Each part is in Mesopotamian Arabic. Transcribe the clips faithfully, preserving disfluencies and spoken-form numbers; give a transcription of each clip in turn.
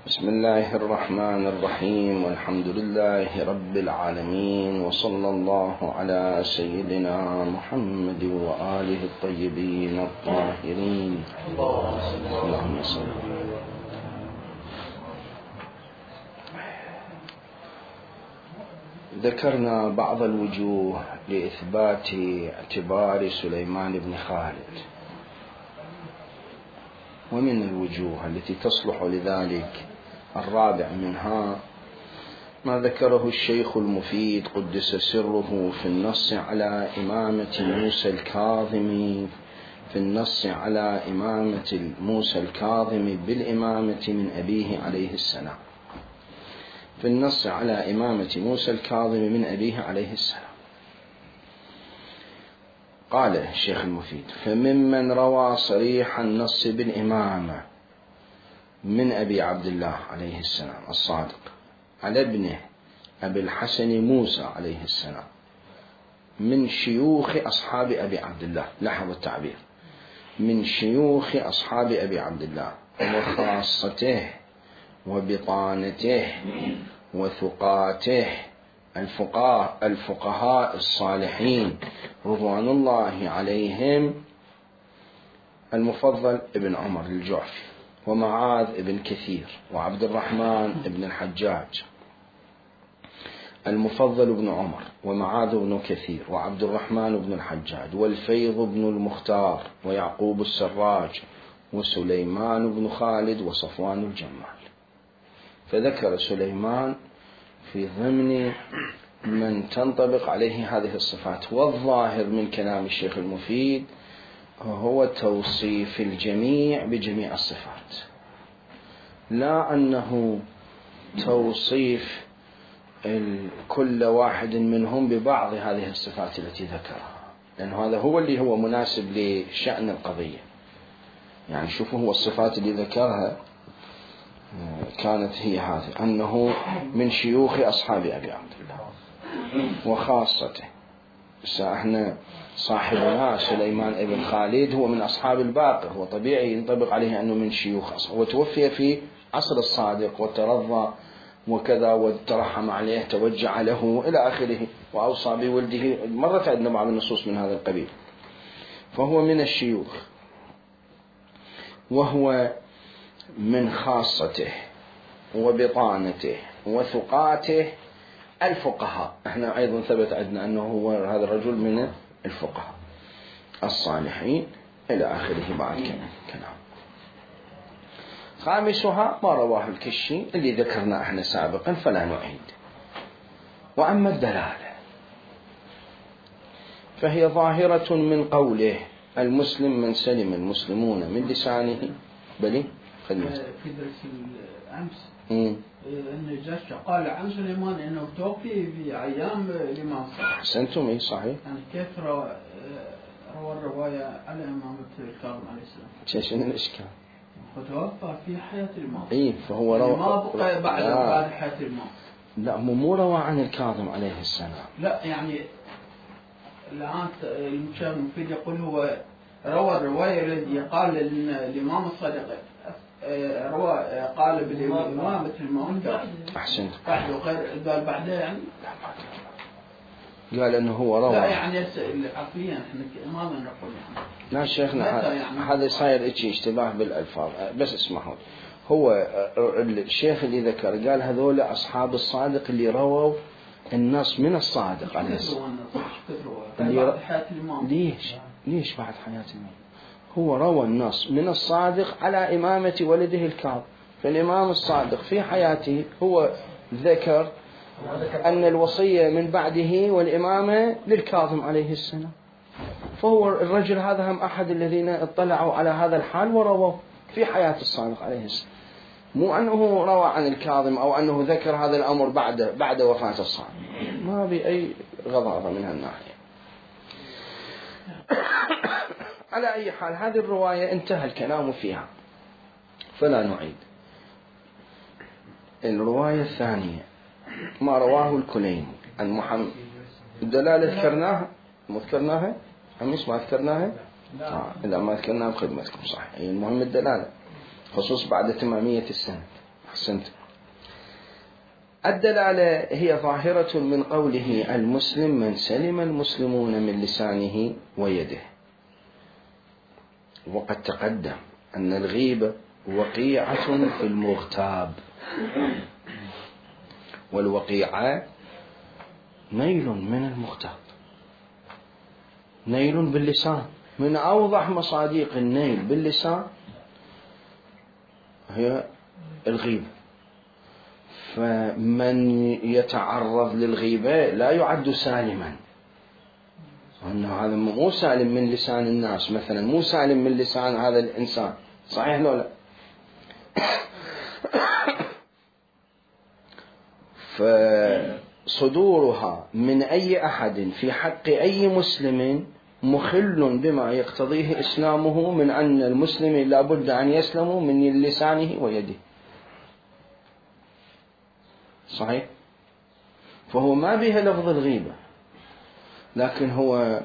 بسم الله الرحمن الرحيم، والحمد لله رب العالمين، وصلى الله على سيدنا محمد وآله الطيبين الطاهرين. اللهم صل. ذكرنا بعض الوجوه لإثبات اعتبار سليمان بن خالد، ومن الوجوه التي تصلح لذلك الرابع منها ما ذكره الشيخ المفيد قدس سره في النص على إمامة موسى الكاظم في النص على إمامة موسى الكاظم بالإمامة من أبيه عليه السلام في النص على إمامة موسى الكاظم من أبيه عليه السلام. قال الشيخ المفيد: فممن روى صريح النص بالإمامة من أبي عبد الله عليه السلام الصادق على ابنه أبي الحسن موسى عليه السلام من شيوخ أصحاب أبي عبد الله، لاحظوا التعبير، من شيوخ أصحاب أبي عبد الله وخاصته وبطانته وثقاته الفقهاء الفقهاء الصالحين رضوان الله عليهم، المفضل ابن عمر الجعفي، ومعاذ ابن كثير، وعبد الرحمن ابن الحجاج. المفضل ابن عمر، ومعاذ ابن كثير، وعبد الرحمن ابن الحجاج، والفيض ابن المختار، ويعقوب السراج، وسليمان بن خالد، وصفوان الجمال. فذكر سليمان في ضمن من تنطبق عليه هذه الصفات. والظاهر من كلام الشيخ المفيد هو توصيف الجميع بجميع الصفات، لا أنه توصيف كل واحد منهم ببعض هذه الصفات التي ذكرها، لأن هذا هو اللي هو مناسب لشأن القضية. يعني شوفوا، هو الصفات اللي ذكرها كانت هي هذه: أنه من شيوخ أصحاب أبي عبد الله وخاصته. احنا صاحبنا سليمان ابن خالد هو من أصحاب الباقر، هو طبيعي ينطبق عليه أنه من شيوخ أصحاب، وتوفي في عصر الصادق وترضى وكذا وترحم عليه توجع له إلى آخره، وأوصى بولده. مرت عندنا بعض النصوص من هذا القبيل. فهو من الشيوخ، وهو من خاصته وبطانته وثقاته الفقهاء. احنا أيضا ثبت عندنا أنه هو هذا الرجل من الفقهاء الصالحين إلى آخره بعد كلام. خامسها ما رواه الكشي اللي ذكرنا احنا سابقا فلا نعيد. وأما الدلالة فهي ظاهرة من قوله: المسلم من سلم المسلمون من لسانه بلي خدمته. في درس الأمس أمم أن الجاشع قال عن سليمان أنه توفي في أيام الإمام صالح. أحسنتم، إيه صحيح. يعني كيف روى روى الرواية على إمامة الكاظم عليه السلام؟ شنو الإشكال؟ فتوفى في حياة الإمام. إيه فهو روى ما بقى بعد بعد حياة الإمام. لا، مو روى عن الكاظم عليه السلام. لا يعني الآن المشاهد المفيد يقول هو روى الرواية الذي قال الإمام الصادق روى قال بالإمامة الإمام. أحسنت. بعد وغير قال بعدها يعني. قال إنه هو روى. لا يعني عقليا إحنا ما نقول يعني. لا شيخنا، يعني هذا صاير إشي اشتباه بالألفاظ. بس اسمعوا، هو الشيخ اللي ذكر قال هذول أصحاب الصادق اللي رووا النص من الصادق عليه السلام. بعد حياة الإمام. ليش؟ ليش بعد حياة الإمام؟ هو روى النص من الصادق على إمامة ولده الكاظم. فالإمام الصادق في حياته هو ذكر أن الوصية من بعده والإمامة للكاظم عليه السلام. فهو الرجل هذا هم أحد الذين اطلعوا على هذا الحال ورووا في حياة الصادق عليه السلام، مو أنه روى عن الكاظم أو أنه ذكر هذا الأمر بعد بعد وفاة الصادق. ما بأي غضاضة من هالناحية. على أي حال هذه الرواية انتهى الكلام فيها فلا نعيد. الرواية الثانية ما رواه الكليني عن محمد. الدلالة ذكرناها مو ذكرناها؟ أمس ما ذكرناها؟ آه. إذا ما ذكرناها بخدمتكم صح. المهم الدلالة خصوص بعد تمامية السنة. أحسنت. الدلالة هي ظاهرة من قوله المسلم من سلم المسلمون من لسانه ويده. وقد تقدم أن الغيبة وقيعة في المغتاب، والوقيعة نيل من المغتاب، نيل باللسان. من أوضح مصادق النيل باللسان هي الغيبة. فمن يتعرض للغيبة لا يعد سالما، أنه هذا مو سالم من لسان الناس، مثلا مو سالم من لسان هذا الإنسان، صحيح لو لا؟ فصدورها من أي أحد في حق أي مسلم مخل بما يقتضيه إسلامه من أن المسلم لا بد أن يسلم من لسانه ويده، صحيح؟ فهو ما بها لفظ الغيبة، لكن هو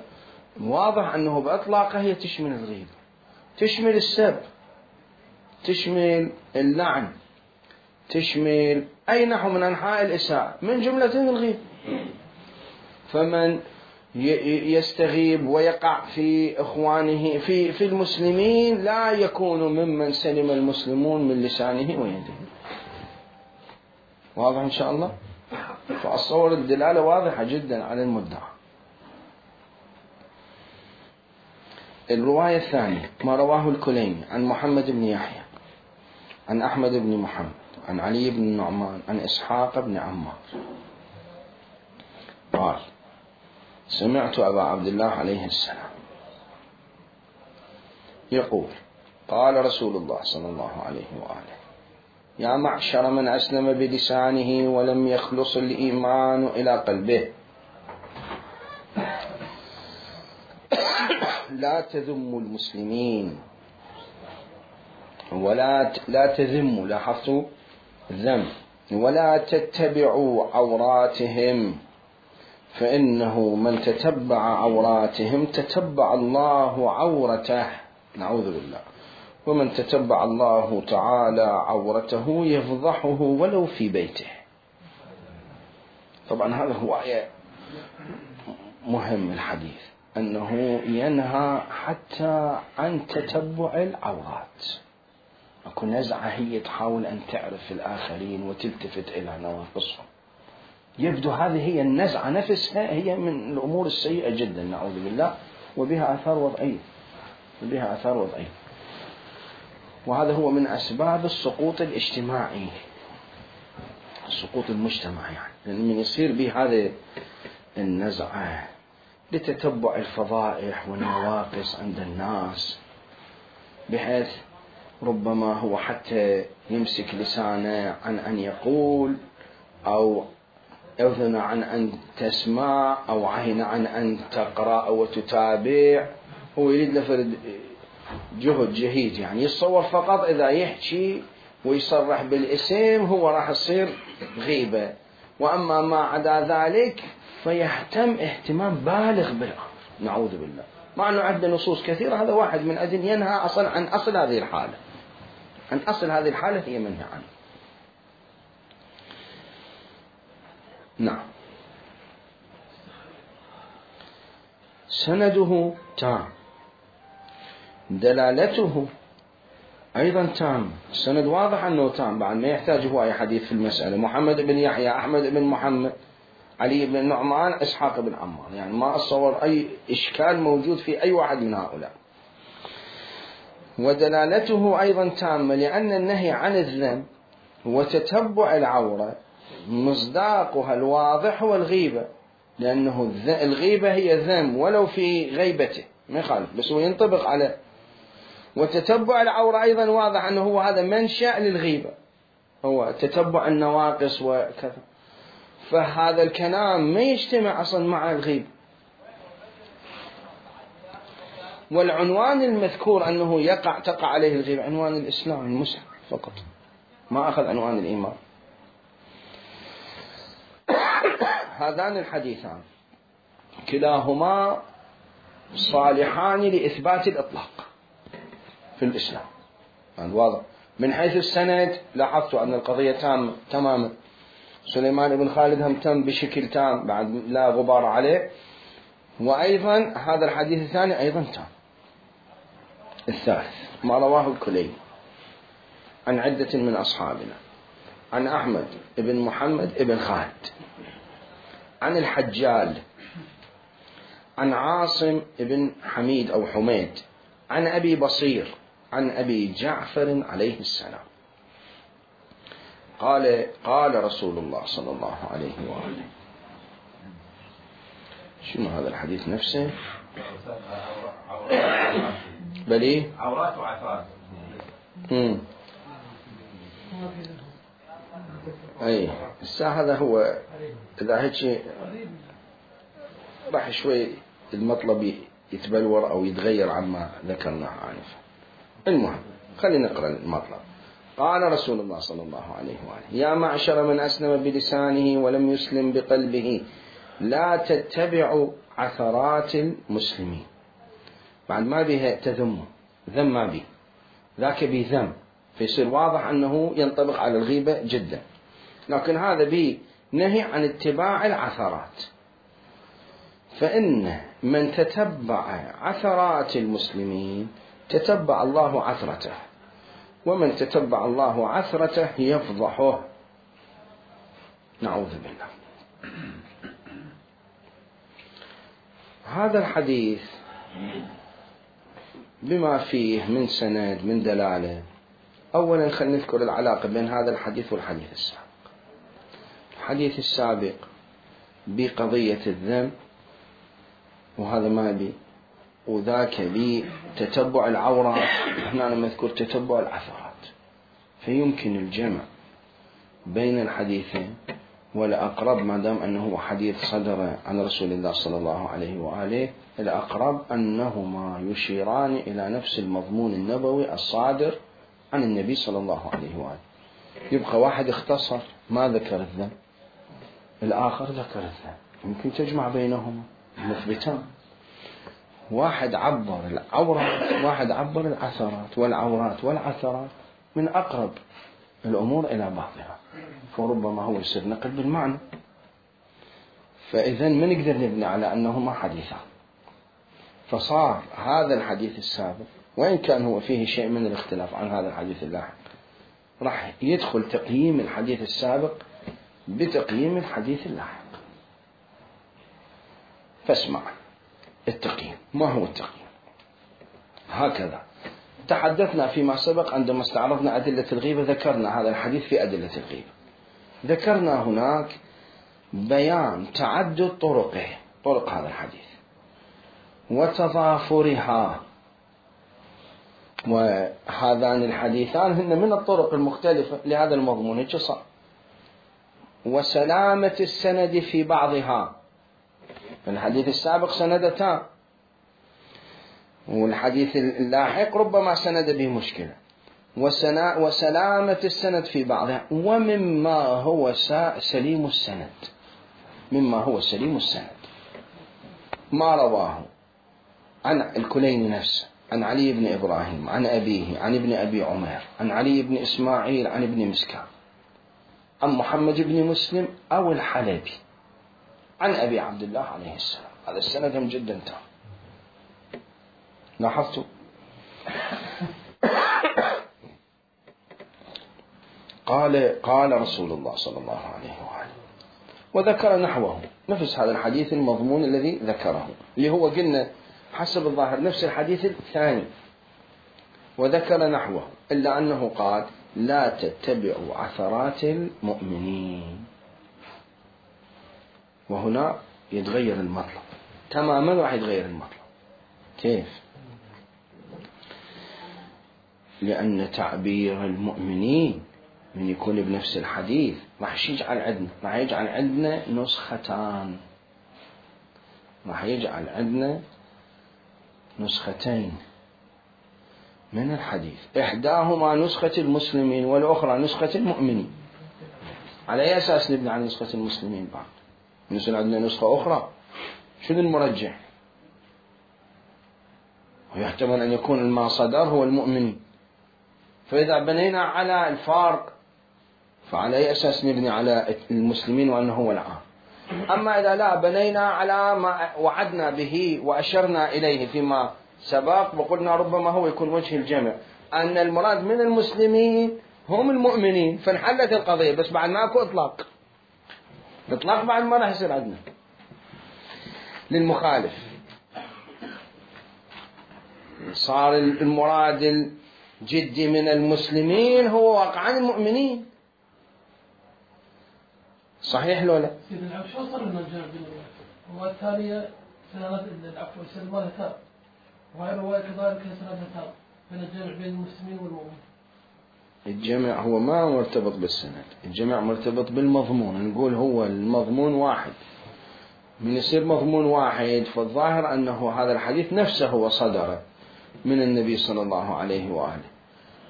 واضح أنه بأطلاقه هي تشمل الغيبة، تشمل السب، تشمل اللعن، تشمل أي نحو من أنحاء الإساءة، من جملة الغيبة. فمن يستغيب ويقع في إخوانه في في المسلمين لا يكون ممن سلم المسلمون من لسانه ويده. واضح إن شاء الله؟ فأتصور الدلالة واضحة جدا على المدعى. الرواية الثانية ما رواه الكليني عن محمد بن يحيى عن أحمد بن محمد عن علي بن النعمان عن إسحاق بن عمار قال سمعت أبا عبد الله عليه السلام يقول قال رسول الله صلى الله عليه وآله يا معشر من أسلم بلسانه ولم يخلص الإيمان إلى قلبه لا تذموا المسلمين ولا لا تذموا، لاحظتوا الذم، ولا تتبعوا عوراتهم فإنه من تتبع عوراتهم تتبع الله عورته، نعوذ بالله، ومن تتبع الله تعالى عورته يفضحه ولو في بيته. طبعا هذا هو آية مهم الحديث، أنه ينهى حتى عن تتبع العورات. أكو نزعة هي تحاول أن تعرف الآخرين وتلتفت إلى نواقصهم، يبدو هذه هي النزعة نفسها هي من الأمور السيئة جدا نعوذ بالله، وبها آثار وضعية، وبها آثار وضعية. وهذا هو من أسباب السقوط الاجتماعي، السقوط المجتمع، يعني لأن من يصير به هذه النزعة لتتبع الفضائح والنواقص عند الناس، بحيث ربما هو حتى يمسك لسانه عن أن يقول، أو أذن عن أن تسمع، أو عين عن أن تقرأ وتتابع. هو يريد لفرد جهد جهيد، يعني يتصور فقط إذا يحكي ويصرح بالاسم هو راح يصير غيبة، وأما ما عدا ذلك فيهتم اهتمام بالغ بالأمر نعوذ بالله، مع أنه عندنا نصوص كثيرة. هذا واحد من أجل ينهى أصلا عن أصل هذه الحالة، عن أصل هذه الحالة هي منهى عنه. نعم. سنده تام، دلالته أيضا تام، السند واضح أنه تام، بعد ما يحتاج هو أي حديث في المسألة. محمد بن يحيى، أحمد بن محمد، علي بن النعمان، إسحاق بن عمار، يعني ما أتصور أي إشكال موجود في أي واحد من هؤلاء. ودلالته أيضا تامة، لأن النهي عن الذم وتتبع العورة مصداقها الواضح هو الغيبة، لأنه الغيبة هي ذم ولو في غيبته ما يخالف، بس هو ينطبق على. وتتبع العورة أيضا واضح أنه هو هذا منشأ للغيبة، هو تتبع النواقص وكذا، فهذا الكلام ما يجتمع أصلا مع الغيبة. والعنوان المذكور أنه يقع تقع عليه الغيبة عنوان الإسلام المسلم فقط، ما أخذ عنوان الإيمان. هذان الحديثان كلاهما صالحان لإثبات الإطلاق في الإسلام، يعني واضح من حيث السند لاحظتوا أن القضية تامة تماما. سليمان بن خالد هم تم بشكل تام بعد لا غبار عليه، وأيضا هذا الحديث الثاني أيضا تام. الثالث ما رواه الكليني عن عدة من أصحابنا عن أحمد بن محمد بن خالد عن الحجال عن عاصم بن حميد أو حميد عن أبي بصير عن أبي جعفر عليه السلام قال قال رسول الله صلى الله عليه وآله. شنو هذا الحديث نفسه؟ بلي عورات وعفات. امم اي الساعة هذا هو. اذا هيك شيء راح شوي المطلب يتبلور او يتغير عما ذكرناه آنفا. المهم خلينا نقرأ المطلب. قال رسول الله صلى الله عليه وآله: يا معشر من أسلم بلسانه ولم يسلم بقلبه لا تتبعوا عثرات المسلمين. بعد ما بها تذم ذم ما به ذاك به ذم، فيصير واضح أنه ينطبق على الغيبة جدا، لكن هذا به نهي عن اتباع العثرات. فإن من تتبع عثرات المسلمين تتبع الله عثرته، ومن تتبع الله عثرته يفضحه، نعوذ بالله. هذا الحديث بما فيه من سند من دلالة. أولا خلينا نذكر العلاقة بين هذا الحديث والحديث السابق. الحديث السابق بقضية الذم، وهذا ما بي، وذاك بي تتبع العورات، هنا مذكور تتبع العثرات، فيمكن الجمع بين الحديثين. والأقرب ما دام أنه حديث صدر عن رسول الله صلى الله عليه وآله، الأقرب أنهما يشيران إلى نفس المضمون النبوي الصادر عن النبي صلى الله عليه وآله. يبقى واحد اختصر ما ذكر الذنب، الآخر ذكر الذنب، يمكن تجمع بينهما مثبتان. واحد عبر العورات، واحد عبر العثرات، والعورات والعثرات من أقرب الأمور إلى بعضها، فربما هو يصير نقل بالمعنى. فإذا ما نقدر نبني على أنهما حديثان. فصار هذا الحديث السابق وإن كان هو فيه شيء من الاختلاف عن هذا الحديث اللاحق، راح يدخل تقييم الحديث السابق بتقييم الحديث اللاحق. فاسمع التقييم. ما هو التقييم؟ هكذا تحدثنا فيما سبق عندما استعرضنا أدلة الغيبة، ذكرنا هذا الحديث في أدلة الغيبة، ذكرنا هناك بيان تعدد طرقه، طرق هذا الحديث وتضافرها، وهذان الحديثان هن من الطرق المختلفة لهذا المضمون هيك صار، وسلامة السند في بعضها. الحديث السابق سندتان، والحديث اللاحق ربما سند به مشكلة، وسلامة السند في بعضها، ومما هو سليم السند، مما هو سليم السند ما رواه عن الكليني نفسه عن علي بن إبراهيم عن أبيه عن ابن أبي عمير عن علي بن إسماعيل عن ابن مسكان عن محمد بن مسلم أو الحلبي عن أبي عبد الله عليه السلام. هذا السند هم جدا تام. لاحظتوا؟ قال قال رسول الله صلى الله عليه وآله، وذكر نحوه، نفس هذا الحديث المضمون الذي ذكره، اللي هو قلنا حسب الظاهر نفس الحديث الثاني، وذكر نحوه، إلا أنه قال لا تتبعوا عثرات المؤمنين. وهنا يتغير المطلب تماما، راح يتغير المطلب. كيف؟ لأن تعبير المؤمنين من يكون بنفس الحديث راح يجعل عندنا راح يجعل عندنا نسختان، راح يجعل عندنا نسختين من الحديث، إحداهما نسخة المسلمين والأخرى نسخة المؤمنين. على أي أساس نبني على نسخة المسلمين بعد؟ نسأل عندنا نسخة أخرى، شنو المرجح؟ ويحتمل أن يكون ما صدر هو المؤمنين، فإذا بنينا على الفارق فعلى أي أساس نبني على المسلمين وأنه هو العام؟ أما إذا لا بنينا على ما وعدنا به وأشرنا إليه فيما سبق وقلنا ربما هو يكون وجه الجمع أن المراد من المسلمين هم المؤمنين، فانحلت القضية. بس بعد ماكو إطلاق، الإطلاق بعد ما راح يصير عندنا للمخالف. صار المراد الجدي من المسلمين هو واقعا المؤمنين. صحيح لو لا؟ سيدنا العفو شو صار لنا الجمع بين الروايتين؟ الرواية الثانية سنة العفو سلمان تاب، وهي الرواية كذلك سنة تاب بين الجمع بين المسلمين والمؤمنين. الجمع هو ما مرتبط بالسند، الجمع مرتبط بالمضمون. نقول هو المضمون واحد، من يصير مضمون واحد فالظاهر أنه هذا الحديث نفسه هو صدر من النبي صلى الله عليه وآله.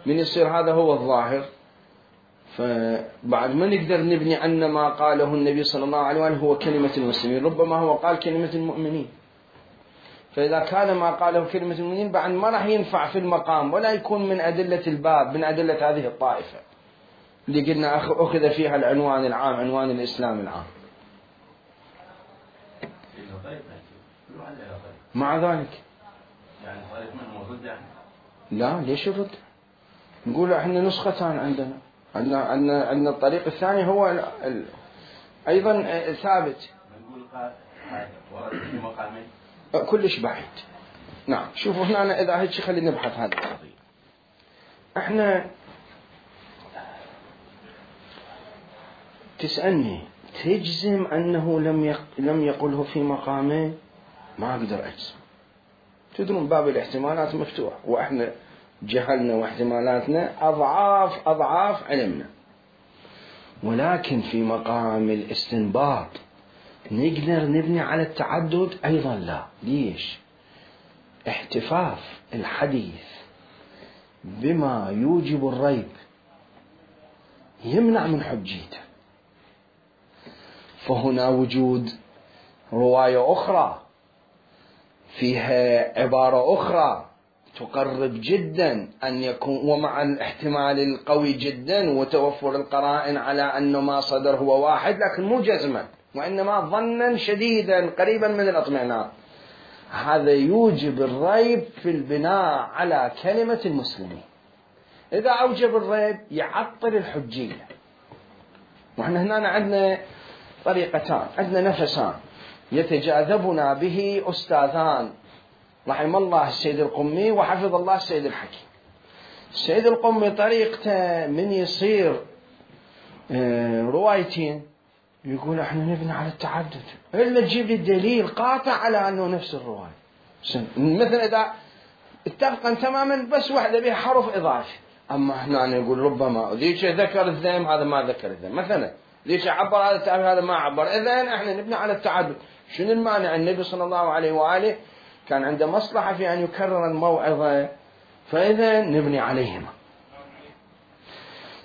من يصير هذا هو الظاهر، فبعد ما نقدر نبني عن ما قاله النبي صلى الله عليه وآله هو كلمة المسلمين، ربما هو قال كلمة المؤمنين. فإذا كان ما قاله كلمة المؤمنين بعد ما راح ينفع في المقام ولا يكون من أدلة الباب، من أدلة هذه الطائفة اللي قلنا أخذ فيها العنوان العام، عنوان الإسلام العام. مع ذلك لا، ليش الرد؟ نقول احنا نسختان عندنا، عندنا عندنا عندنا الطريق الثاني هو ال ال أيضا ثابت. كلش بعيد. نعم، شوفوا هنا أنا إذا هيك خلينا نبحث هذه القضية. احنا تسألني تجزم أنه لم يق... لم يقله في مقامه؟ ما أقدر أجزم. تدرون باب الاحتمالات مفتوح، وإحنا جهلنا واحتمالاتنا أضعاف أضعاف علمنا. ولكن في مقام الاستنباط نقدر نبني على التعدد أيضا لا. ليش؟ احتفاف الحديث بما يوجب الريب يمنع من حجيته. فهنا وجود رواية أخرى فيها عبارة أخرى تقرب جدا أن يكون، ومع الاحتمال القوي جدا وتوفر القرائن على أنه ما صدر هو واحد، لكن مو جزما وإنما ظنا شديدا قريبا من الاطمئنان. هذا يوجب الريب في البناء على كلمة المسلمين. إذا أوجب الريب يعطل الحجية. وإحنا هنا عندنا طريقتان، عندنا نفسان يتجاذبنا به أستاذان رحم الله السيد القمي وحفظ الله السيد الحكيم. السيد القمي طريقته من يصير روايتين يقول احنا نبني على التعدد، إلا تجيب لي الدليل قاطع على أنه نفس الرواية. مثل إذا اتفقا تماما بس واحدة بها حرف إضافي. أما احنا نقول ربما ذيك ذكر الذم هذا ما ذكر الذم، مثلا ذيك عبر هذا التعبير هذا ما عبر، إذن احنا نبني على التعدد. شنو المانع؟ النبي صلى الله عليه وآله كان عنده مصلحة في أن يكرر الموعظة، فإذا نبني عليهما.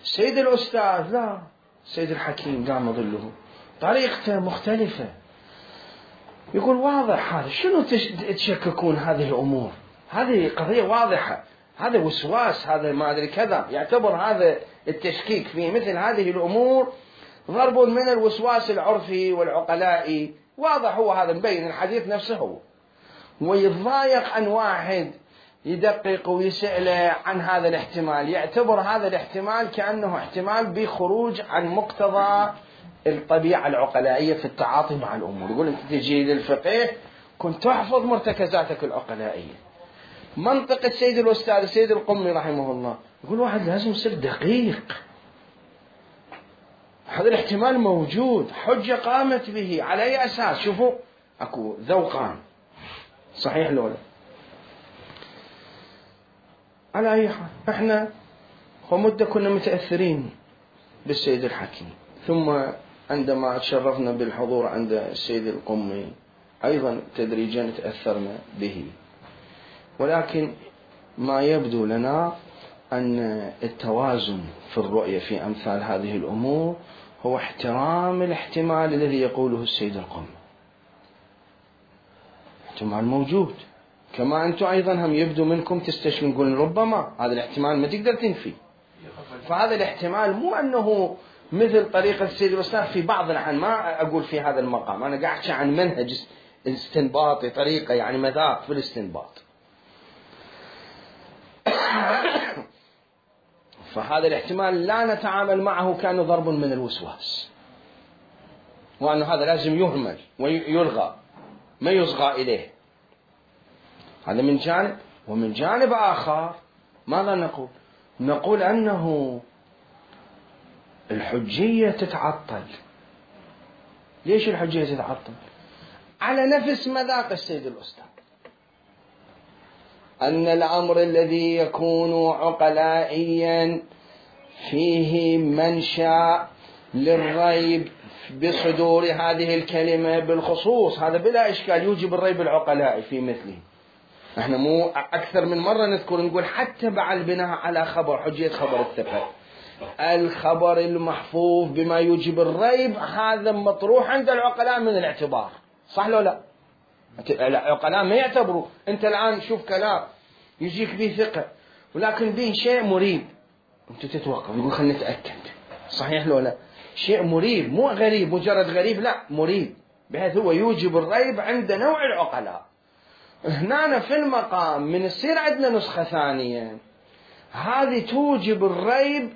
سيد الأستاذ لا، سيد الحكيم دام ظله طريقته مختلفة. يقول واضح هذا، شنو تشككون هذه الأمور؟ هذه قضية واضحة، هذا وسواس، هذا ما أدري كذا. يعتبر هذا التشكيك في مثل هذه الأمور ضرب من الوسواس العرفي والعقلائي. واضح هو هذا، مبين الحديث نفسه هو. ويتضايق أن واحد يدقق ويسأله عن هذا الاحتمال، يعتبر هذا الاحتمال كأنه احتمال بخروج عن مقتضى الطبيعة العقلائية في التعاطي مع الأمور. يقول أنت تجي للفقه كنت تحفظ مرتكزاتك العقلائية. منطقة السيد الأستاذ السيد القمي رحمه الله يقول واحد لازم يصير دقيق. هذا الاحتمال موجود، حجة قامت به، على أي أساس؟ شوفوا أكو ذوقان، صحيح لولا؟ على أي حال احنا ومدة كنا متأثرين بالسيد الحكيم، ثم عندما تشرفنا بالحضور عند السيد القمي أيضا تدريجا تأثرنا به. ولكن ما يبدو لنا أن التوازن في الرؤية في أمثال هذه الأمور هو احترام الاحتمال الذي يقوله السيد القمي. احتمال موجود، كما أنتم أيضا هم يبدو منكم تستشكلون نقول ربما هذا الاحتمال ما تقدر تنفي. فهذا الاحتمال مو أنه مثل طريقة السيد الأستاذ في بعض الأحيان، ما أقول في هذا المقام، أنا قاعد أحكي عن منهج استنباطي، طريقة يعني مذاق في الاستنباط. فهذا الاحتمال لا نتعامل معه كأنه ضرب من الوسواس، وأنه هذا لازم يهمل ويلغى ما يصغى إليه. هذا من جانب. ومن جانب آخر ماذا نقول؟ نقول أنه الحجية تتعطل. ليش الحجية تتعطل؟ على نفس مذاق السيد الأستاذ، أن الأمر الذي يكون عقلائيا فيه منشأ للريب بصدور هذه الكلمة بالخصوص، هذا بلا إشكال يوجب الريب العقلائي في مثله. احنا مو أكثر من مرة نذكر نقول حتى مع البناء على خبر حجية خبر الثقة، الخبر المحفوظ بما يوجب الريب هذا مطروح عند العقلاء من الاعتبار، صح لو لا؟ العقلاء ما يعتبروا. انت الآن شوف كلام يجيك به ثقة ولكن به شيء مريب، انت تتوقف يقول خلنا نتأكد، صحيح لو لا؟ شيء مريب مو غريب مجرد غريب، لا مريب، بحيث هو يوجب الريب عند نوع العقلاء. هنا في المقام من يصير عندنا نسخة ثانية هذه توجب الريب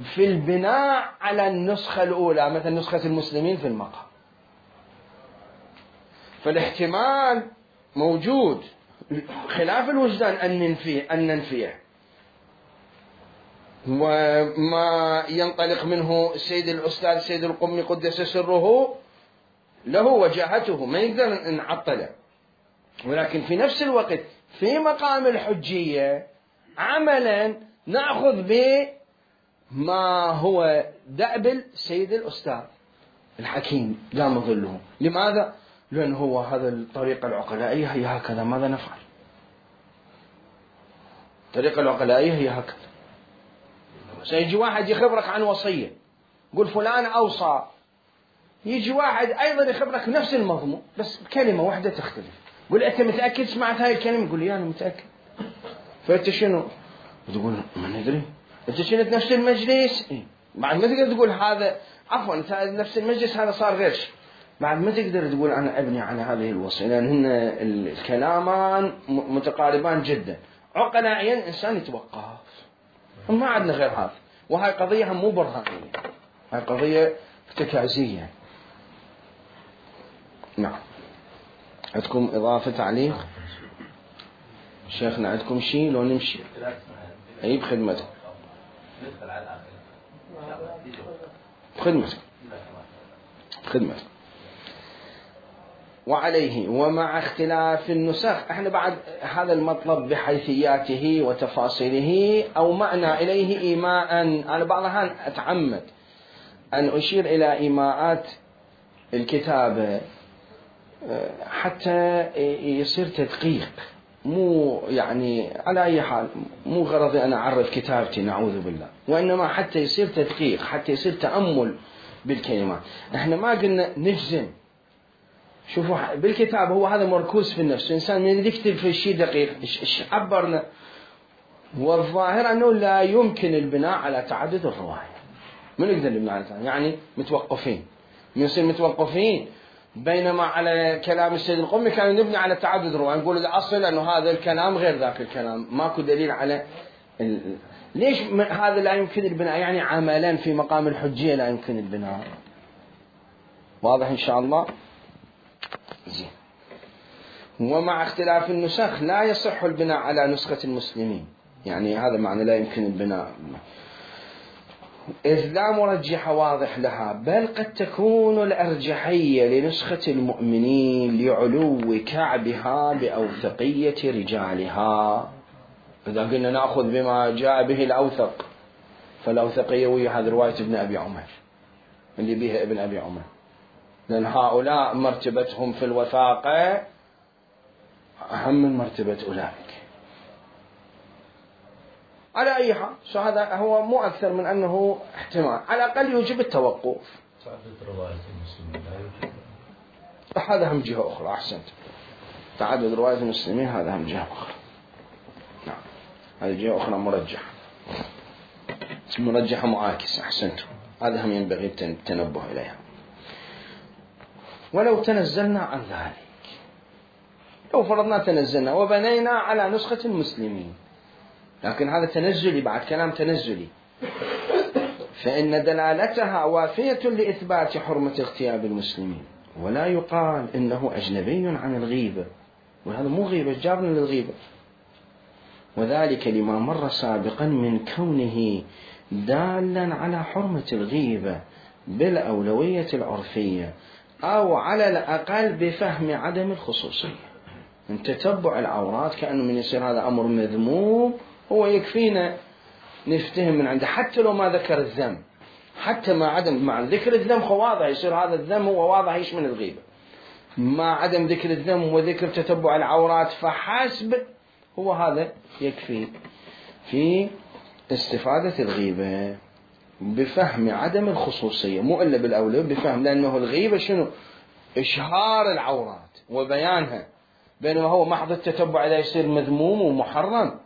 في البناء على النسخة الأولى، مثل نسخة المسلمين في المقام. فالاحتمال موجود خلاف الوجدان أن ننفيه أن ننفيه وما ينطلق منه السيد الأستاذ السيد القمي قدس سره له وجاهته ما يقدر نعطله. ولكن في نفس الوقت في مقام الحجية عملا نأخذ بما هو دأب السيد الأستاذ الحكيم دام ظله. لماذا؟ لأن هو هذا الطريقة العقلائية هي هكذا، ماذا نفعل؟ الطريقة العقلائية هي هكذا. سيجي واحد يخبرك عن وصية، قل فلان أوصى، يجي واحد أيضا يخبرك نفس المضمون بس بكلمة واحدة تختلف، قل أنت متأكد سمعت هاي الكلمة؟ يقول لي أنا متأكد. فأنت شنو؟ تقول ما ندري. أنت شنت نفس المجلس؟ إيه؟ بعد ما تقدر تقول هذا عفوا نفس المجلس هذا صار غير شيء، بعد ما تقدر تقول أنا أبني على هذه الوصية، لأن هن الكلامان متقاربان جدا. عقلائيا إنسان يتوقف، ما عندنا غير هذا. وهاي قضية هم مو برهانية، هاي قضية افتكاسية. نعم. عندكم إضافة تعليق؟ شيخنا عندكم شيء لو نمشي؟ أي بخدمتك بخدمتك بخدمتك. وعليه ومع اختلاف النسخ، احنا بعد هذا المطلب بحيثياته وتفاصيله أو معنى إليه إيماء. أنا بعض الأحيان أتعمد أن أشير إلى إيماءات الكتابة حتى يصير تدقيق، مو يعني على أي حال مو غرضي أنا أعرف كتابتي نعوذ بالله، وإنما حتى يصير تدقيق، حتى يصير تأمل بالكلمات. احنا ما قلنا نجزم. شوفوا بالكتاب هو هذا مركوز في النفس، الإنسان من يكتب في شيء دقيق إيش عبرنا، والظاهر أنه لا يمكن البناء على تعدد الرواية. من يقدر نبني على تعدد؟ يعني متوقفين، نصير متوقفين. بينما على كلام السيد القمي كان نبني على تعدد الرواية، نقول الأصل أنه هذا الكلام غير ذاك الكلام، ماكو دليل على ال... ليش هذا لا يمكن البناء؟ يعني عملا في مقام الحجية لا يمكن البناء. واضح إن شاء الله؟ زين. ومع اختلاف النسخ لا يصح البناء على نسخة المسلمين، يعني هذا معنى لا يمكن البناء، إذ لا مرجح واضح لها، بل قد تكون الأرجحية لنسخة المؤمنين لعلو كعبها بأوثقية رجالها. إذا قلنا نأخذ بما جاء به الأوثق، فالأوثقية وهي هذه رواية ابن أبي عمر اللي بها ابن أبي عمر، لأن هؤلاء مرتبتهم في الوثاقة أهم من مرتبة أولئك. على أي حال هذا هو مو أكثر من أنه احتمال، على الأقل يوجب تعدد رواية المسلمين هذا هم جهة أخرى. نعم هذه جهة أخرى مرجحة مرجحة معاكسة. أحسنتم، هذا هم ينبغي التنبه إليها. ولو تنزلنا عن ذلك، لو فرضنا تنزلنا وبنينا على نسخة المسلمين، لكن هذا تنزلي بعد كلام تنزلي، فإن دلالتها وافية لإثبات حرمة اغتياب المسلمين، ولا يقال إنه أجنبي عن الغيبة، وهذا مو غيبة، جابنا للغيبة، وذلك لما مر سابقا من كونه دالا على حرمة الغيبة بالأولوية العرفية، أو على الأقل بفهم عدم الخصوصية. من تتبع العورات كأنه من يصير هذا أمر مذموم، هو يكفينا نفتهم من عنده حتى لو ما ذكر الذنب، حتى مع عدم مع ذكر الذنب هو واضح يصير هذا الذنب هو واضح يشمل الغيبة، مع عدم ذكر الذنب وذكر تتبع العورات فحسب هو هذا يكفي في استفادة الغيبة بفهم عدم الخصوصية، مو إلا بالأولى بفهم، لأنه الغيبة شنو؟ إشهار العورات وبيانها، بينما هو محض التتبع إذا يصير مذموم ومحرم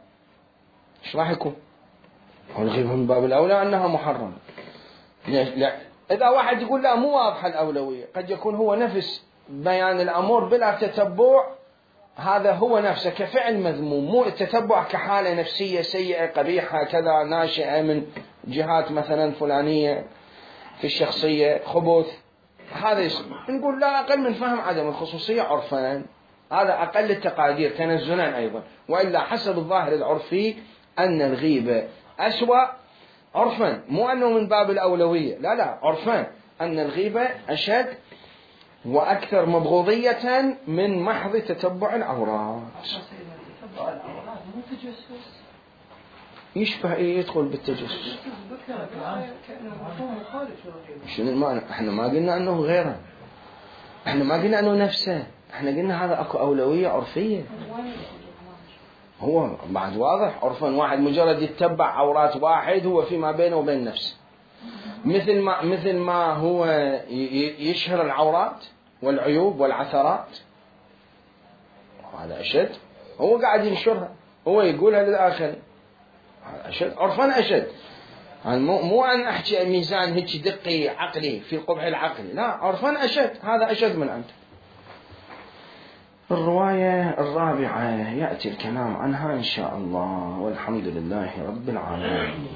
إيش راح يكون؟ هو الغيبة من باب الأولى أنها محرمة. لا. إذا واحد يقول لا مو واضحة الأولوية، قد يكون هو نفس بيان الأمور بلا تتبع، هذا هو نفسه كفعل مذموم، مو التتبع كحالة نفسية سيئة قبيحة كذا ناشئة من جهات مثلا فلانية في الشخصية خبث، هذا يصير. نقول لا أقل من فهم عدم الخصوصية عرفا، هذا أقل التقادير تنزلا أيضا، وإلا حسب الظاهر العرفي أن الغيبة أسوأ عرفا، مو أنه من باب الأولوية، لا لا عرفا أن الغيبة أشد وأكثر مبغوضية من محض تتبع العورات. يشبه إيه يدخل بالتجسس؟ شنو المعنى؟ احنا ما قلنا أنه غيره، احنا ما قلنا أنه نفسه، احنا قلنا هذا أكو أولوية عرفية. هو بعد واضح عرفا واحد مجرد يتبع عورات واحد هو فيما بينه وبين نفسه، مثل ما مثل ما هو يشهر العورات والعيوب والعثرات، هذا أشد، هو قاعد ينشرها، هو يقولها للآخر، هذا أشد عرفا أشد. مو مو أن أحكي ميزان هيك دقي عقلي في القبح العقلي، لا عرفا أشد، هذا أشد من أنت. الرواية الرابعة يأتي الكلام عنها إن شاء الله، والحمد لله رب العالمين.